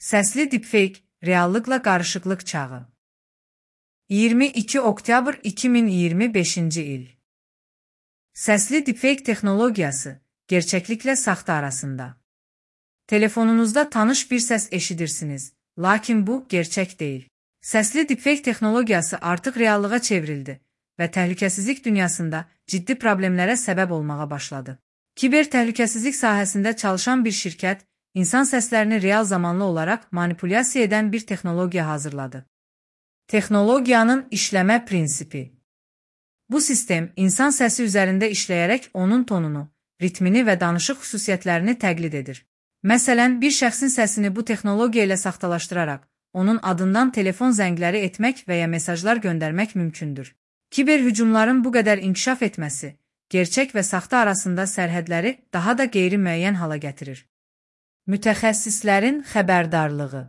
Səsli deepfake, reallıqla qarışıqlıq çağı. 22 oktyabr 2025-ci il. Səsli deepfake texnologiyası, gerçəkliklə saxta arasında. Telefonunuzda tanış bir səs eşidirsiniz, lakin bu gerçək deyil. Səsli deepfake texnologiyası artıq reallığa çevrildi və təhlükəsizlik dünyasında ciddi problemlərə səbəb olmağa başladı. Kiber təhlükəsizlik sahəsində çalışan bir şirkət, insan səslərini real zamanlı olaraq manipulyasiya edən bir texnologiya hazırladı. Texnologiyanın işləmə prinsipi. Bu sistem, insan səsi üzərində işləyərək onun tonunu, ritmini və danışıq xüsusiyyətlərini təqlid edir. Məsələn, bir şəxsin səsini bu texnologiya ilə saxtalaşdıraraq, onun adından telefon zəngləri etmək və ya mesajlar göndərmək mümkündür. Kiber hücumların bu qədər inkişaf etməsi, gerçək və saxta arasında sərhədləri daha da qeyri-müəyyən hala gətirir. Mütəxəssislərin xəbərdarlığı.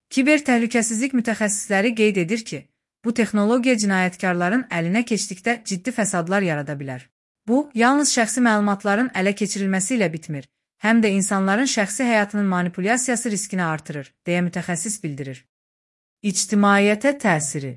Kiber təhlükəsizlik mütəxəssisləri qeyd edir ki, bu texnologiya cinayətkarların əlinə keçdikdə ciddi fəsadlar yarada bilər. Bu, yalnız şəxsi məlumatların ələ keçirilməsi ilə bitmir, həm də insanların şəxsi həyatının manipulyasiyası riskini artırır, deyə mütəxəssis bildirir. İctimaiyyətə təsiri.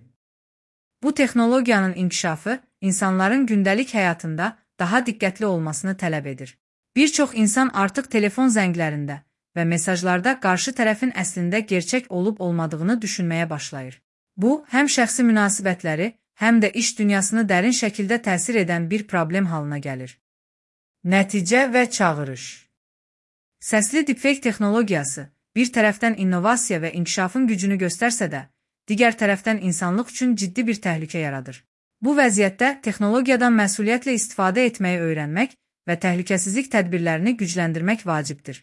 Bu texnologiyanın inkişafı insanların gündəlik həyatında daha diqqətli olmasını tələb edir. Bir çox insan artıq telefon zənglərində və mesajlarda qarşı tərəfin əslində gerçək olub-olmadığını düşünməyə başlayır. Bu, həm şəxsi münasibətləri, həm də iş dünyasını dərin şəkildə təsir edən bir problem halına gəlir. Nəticə və çağırış. Səsli deepfake texnologiyası bir tərəfdən innovasiya və inkişafın gücünü göstərsə də, digər tərəfdən insanlıq üçün ciddi bir təhlükə yaradır. Bu vəziyyətdə texnologiyadan məsuliyyətlə istifadə etməyi öyrənmək və təhlükəsizlik tədbirlərini gücləndirmək vacibdir.